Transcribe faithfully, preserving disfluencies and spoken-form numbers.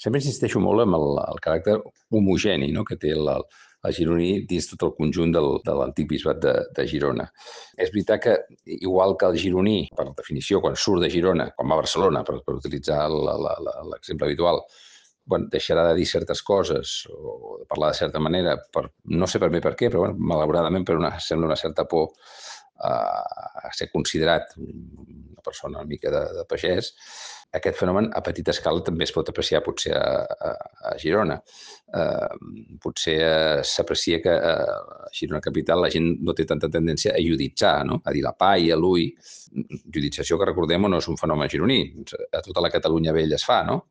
Sempre insisteixo molt en el el caràcter homogeni, no?, que té el el gironí dins tot el conjunt del de l'antic bisbat de de Girona. És veritat que, igual que el gironí, per definició, quan surt de Girona, quan va a Barcelona, per per utilitzar la la la l'exemple habitual, quan deixarà de dir certes coses o de parlar de certa manera, per no sé ben bé per què, però bé, malauradament per una sembla una certa por a a ser considerat una persona una mica de de pagès, aquest fenomen a petita escala també es pot apreciar potser a a a Girona. Eh, potser s'aprecia que a Girona capital la gent no té tanta tendència a ioditzar, no?, a dir la pa i a l'ui. Iodització, que recordem-ho, no és un fenomen gironí, a tota la Catalunya vella es fa, no?